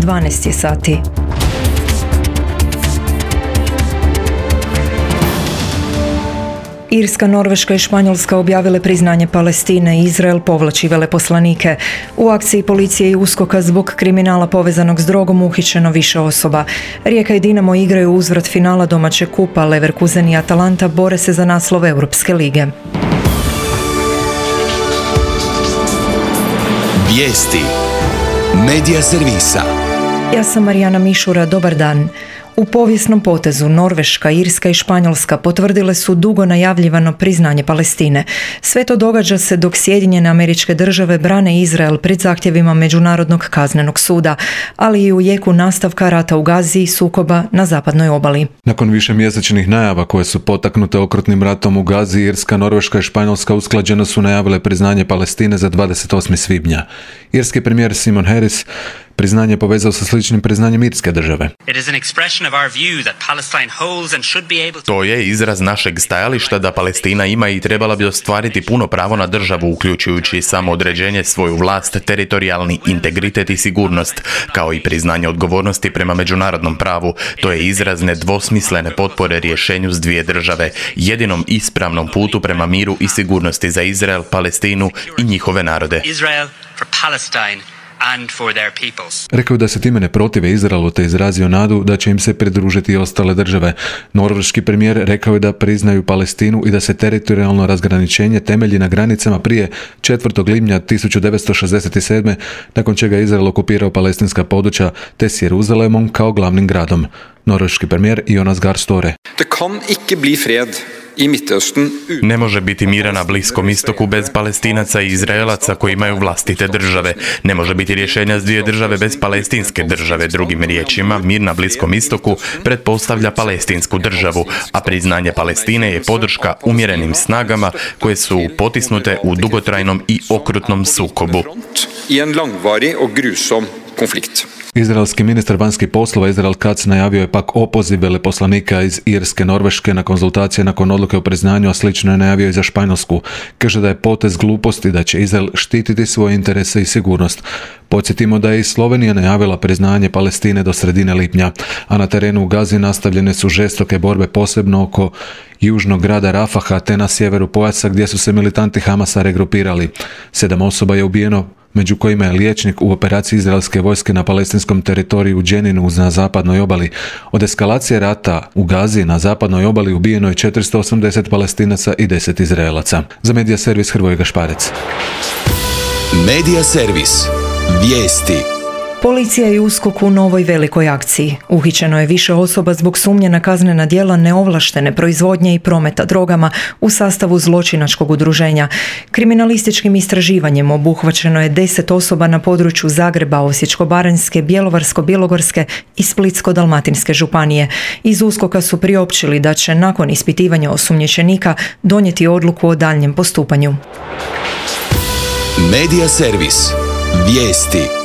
12 je sati. Irska, Norveška i Španjolska objavile priznanje Palestine i Izrael povlači veleposlanike. U akciji policije i USKOK-a zbog kriminala povezanog s drogom uhićeno više osoba. Rijeka i Dinamo igraju uzvrat finala domaćeg kupa, Leverkusen i Atalanta bore se za naslov Europske lige. Vijesti Medija servisa. Ja sam Marijana Mišura, dobar dan. U povijesnom potezu Norveška, Irska i Španjolska potvrdile su dugo najavljivano priznanje Palestine. Sve to događa se dok Sjedinjene Američke Države brane Izrael pred zahtjevima Međunarodnog kaznenog suda, ali i u jeku nastavka rata u Gazi i sukoba na zapadnoj obali. Nakon višemjesečnih najava koje su potaknute okrutnim ratom u Gazi, Irska, Norveška i Španjolska usklađeno su najavile priznanje Palestine za 28. svibnja. Irski premijer Simon Harris priznanje povezao sa sličnim priznanjem Irske države. To je izraz našeg stajališta da Palestina ima i trebala bi ostvariti puno pravo na državu, uključujući samoodređenje, svoju vlast, teritorijalni integritet i sigurnost, kao i priznanje odgovornosti prema međunarodnom pravu. To je izraz nedvosmislene potpore rješenju s dvije države, jedinom ispravnom putu prema miru i sigurnosti za Izrael, Palestinu i njihove narode. Rekao je da se time ne protive Izraelu te izrazio nadu da će im se pridružiti i ostale države. Norveški premijer rekao je da priznaju Palestinu i da se teritorijalno razgraničenje temelji na granicama prije 4. lipnja 1967. nakon čega je Izrael okupirao palestinska područja te s Jeruzalemom kao glavnim gradom. Norveški premijer Jonas Gahr Støre. Ne može biti mira na Bliskom istoku bez Palestinaca i Izraelaca koji imaju vlastite države. Ne može biti rješenja s dvije države bez palestinske države. Drugim riječima, mir na Bliskom istoku pretpostavlja palestinsku državu, a priznanje Palestine je podrška umjerenim snagama koje su potisnute u dugotrajnom i okrutnom sukobu. Izraelski ministar vanjskih poslova Israel Katz najavio je pak opoziv veleposlanika iz Irske, Norveške na konzultacije nakon odluke o priznanju, a slično je najavio i za Španjolsku. Kaže da je potez gluposti da će Izrael štititi svoje interese i sigurnost. Podsjetimo da je i Slovenija najavila priznanje Palestine do sredine lipnja, a na terenu u Gazi nastavljene su žestoke borbe posebno oko južnog grada Rafaha te na sjeveru pojasa gdje su se militanti Hamasa regrupirali. 7 osoba je ubijeno, među kojima je liječnik u operaciji izraelske vojske na palestinskom teritoriju u Dženinu na zapadnoj obali. Od eskalacije rata u Gazi na zapadnoj obali ubijeno je 480 Palestinaca i 10 Izraelaca. Za Medija servis Hrvoje Gašparec. Medija servis. Vijesti. Policija i USKOK u novoj velikoj akciji. Uhićeno je više osoba zbog sumnje na kaznena djela neovlaštene proizvodnje i prometa drogama u sastavu zločinačkog udruženja. Kriminalističkim istraživanjem obuhvaćeno je 10 osoba na području Zagreba, Osječko-baranjske, Bjelovarsko-bilogorske i Splitsko-dalmatinske županije. Iz USKOK-a su priopćili da će nakon ispitivanja osumnjičenika donijeti odluku o daljnjem postupanju. Medija servis. Vijesti.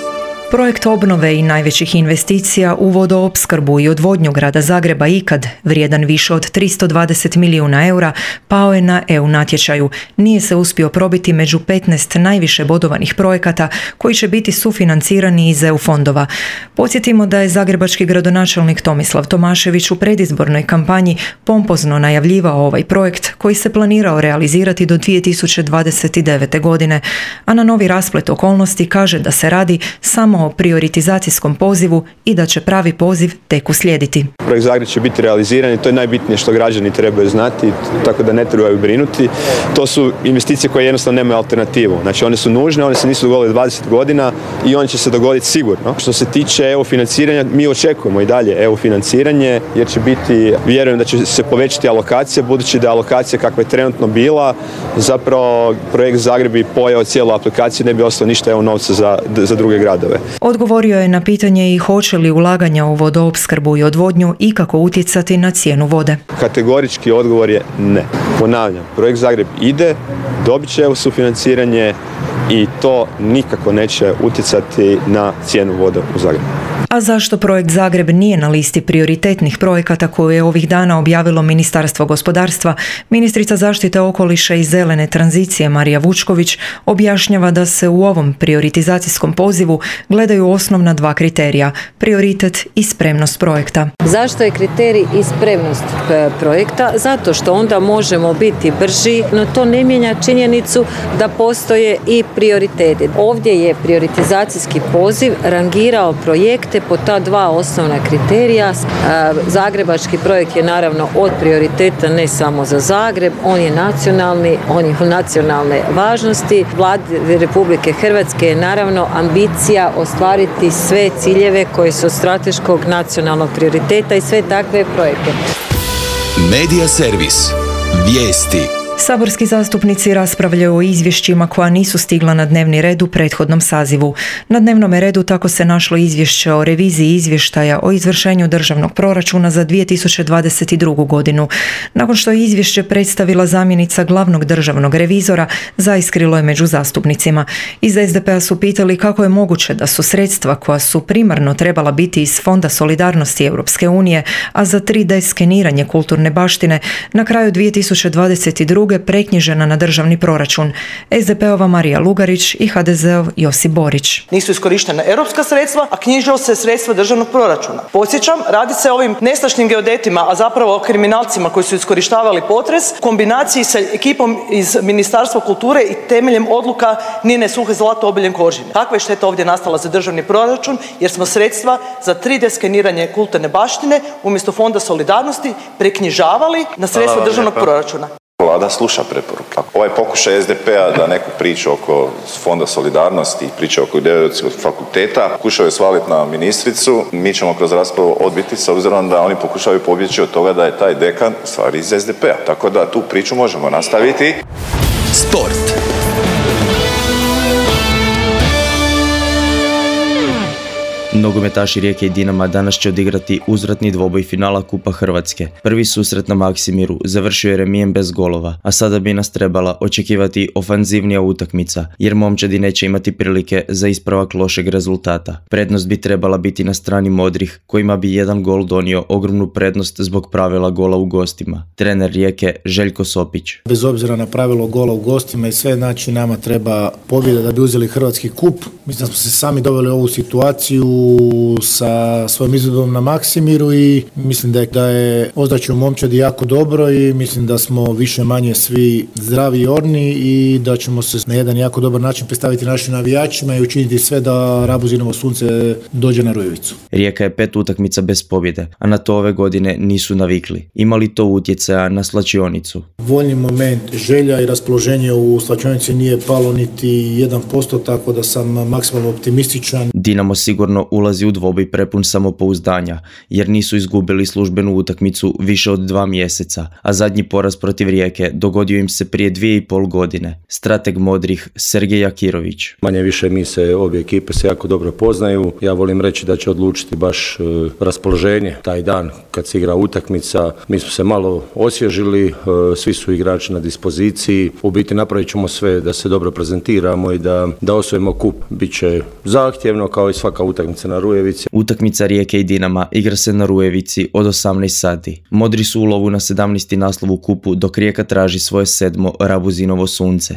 Projekt obnove i najvećih investicija u vodoopskrbu i odvodnju grada Zagreba ikad, vrijedan više od 320 milijuna eura, pao je na EU natječaju. Nije se uspio probiti među 15 najviše bodovanih projekata koji će biti sufinancirani iz EU fondova. Podsjetimo da je zagrebački gradonačelnik Tomislav Tomašević u predizbornoj kampanji pompozno najavljivao ovaj projekt koji se planirao realizirati do 2029. godine, a na novi rasplet okolnosti kaže da se radi samo o prioritizacijskom pozivu i da će pravi poziv tek uslijediti. Projekt Zagreb će biti realiziran i to je najbitnije što građani trebaju znati, tako da ne trebaju brinuti. To su investicije koje jednostavno nemaju alternativu. Znači one su nužne, one se nisu dogodile 20 godina i one će se dogoditi sigurno. Što se tiče EU financiranja, mi očekujemo i dalje EU financiranje jer će biti, vjerujem da će se povećati alokacija, budući da je alokacija kakva je trenutno bila, zapravo projekt Zagreb bi pojao cijelu aplikaciju, ne bi ostalo ništa EU novca za druge gradove. Odgovorio je na pitanje i hoće li ulaganja u vodoopskrbu i odvodnju ikako utjecati na cijenu vode. Kategorički odgovor je ne. Ponavljam, projekt Zagreb ide, dobit će EU sufinanciranje i to nikako neće utjecati na cijenu vode u Zagrebu. A zašto projekt Zagreb nije na listi prioritetnih projekata koju je ovih dana objavilo Ministarstvo gospodarstva, ministrica zaštite okoliša i zelene tranzicije Marija Vučković objašnjava da se u ovom prioritizacijskom pozivu gledaju osnovna dva kriterija, prioritet i spremnost projekta. Zašto je kriterij i spremnost projekta? Zato što onda možemo biti brži, no to ne mijenja činjenicu da postoje i prioriteti. Ovdje je prioritizacijski poziv rangirao projekte po ta dva osnovna kriterija. Zagrebački projekt je naravno od prioriteta ne samo za Zagreb, on je nacionalni, on je nacionalne važnosti. Vladi Republike Hrvatske je naravno ambicija ostvariti sve ciljeve koji su od strateškog nacionalnog prioriteta i sve takve projekte. Medija servis. Vijesti. Saborski zastupnici raspravljaju o izvješćima koja nisu stigla na dnevni red u prethodnom sazivu. Na dnevnom redu tako se našlo izvješće o reviziji izvještaja o izvršenju državnog proračuna za 2022. godinu. Nakon što je izvješće predstavila zamjenica glavnog državnog revizora, zaiskrilo je među zastupnicima. Iz SDP-a su pitali kako je moguće da su sredstva koja su primarno trebala biti iz Fonda solidarnosti Europske unije, a za 3D skeniranje kulturne baštine na kraju 2022. preknjižena na državni proračun. SDP-ova Marija Lugarić i HDZ-ov Josip Borić. Nisu iskorištena europska sredstva, a knjižilo se sredstva državnog proračuna. Podsjećam, radi se o ovim nestašnim geodetima, a zapravo o kriminalcima koji su iskorištavali potres, kombinaciji sa ekipom iz Ministarstva kulture i temeljem odluka Nine Suhe Zlato Obeljen Kožine. Kakva je šteta ovdje nastala za državni proračun, jer smo sredstva za 3D skeniranje kulturne baštine umjesto Fonda solidarnosti preknjižavali na sredstva državnog proračuna. Vlada sluša preporuke. Ovaj pokušaj SDP-a da neku priču oko Fonda solidarnosti, priča oko geodetskog fakulteta, pokušaju svaliti na ministricu, mi ćemo kroz raspravu odbiti s obzirom da oni pokušaju pobjeći od toga da je taj dekan u stvari iz SDP-a. Tako da tu priču možemo nastaviti. Sport. Nogometaši Rijeke i Dinama danas će odigrati uzvratni dvoboj finala Kupa Hrvatske. Prvi susret na Maksimiru završio je remijem bez golova, a sada bi nas trebala očekivati ofanzivnija utakmica, jer momčadi neće imati prilike za ispravak lošeg rezultata. Prednost bi trebala biti na strani modrih, kojima bi jedan gol donio ogromnu prednost zbog pravila gola u gostima. Trener Rijeke Željko Sopić. Bez obzira na pravilo gola u gostima i sve, znači nama treba pobjeda da bi uzeli hrvatski kup. Mislim da smo se sami doveli u ovu situaciju sa svojim izvedbom na Maksimiru i mislim da je ozračje u momčadi jako dobro i mislim da smo više manje svi zdravi i orni i da ćemo se na jedan jako dobar način predstaviti našim navijačima i učiniti sve da Rabuzinovo sunce dođe na Rujevicu. Rijeka je 5 utakmica bez pobjede, a na to ove godine nisu navikli. Ima li to utjecaja na slačionicu? Voljni moment, želja i raspoloženje u slačionici nije palo niti 1%, tako da sam maksimalno optimističan. Dinamo sigurno ulazi u dvoboj prepun samopouzdanja, jer nisu izgubili službenu utakmicu više od 2 mjeseca, a zadnji poraz protiv Rijeke dogodio im se prije 2,5 godine. Strateg modrih Sergej Jakirović. Manje više obje ekipe se jako dobro poznaju. Ja volim reći da će odlučiti baš raspoloženje taj dan kad se igra utakmica. Mi smo se malo osvježili, svi su igrači na dispoziciji. U biti napravit ćemo sve da se dobro prezentiramo i da osvojimo kup. Biće zahtjevno kao i svaka utakmica na Rujevici. Utakmica Rijeke i Dinama igra se na Rujevici od 18 sati. Modri su u lovu na 17. naslov u kupu, dok Rijeka traži svoje 7. Rabuzinovo sunce.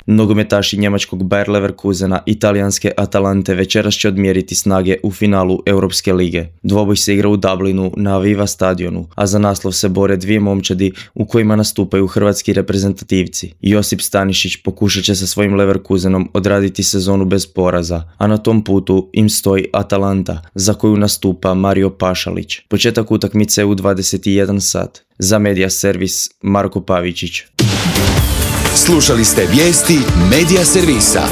Nogometaši njemačkog Bayer Leverkusena i talijanske Atalante večeras će odmjeriti snage u finalu Europske lige. Dvoboj se igra u Dublinu na Aviva stadionu, a za naslov se bore dvije momčadi u kojima nastupaju hrvatski reprezentativci. Josip Stanišić pokušat će sa svojim Leverkusenom odraditi sezonu bez poraza, a na tom putu im stoji Atalanta, za koju nastupa Mario Pašalić. Početak utakmice u 21 sat. Za Medija servis Marko Pavičić. Slušali ste vijesti Medija servisa.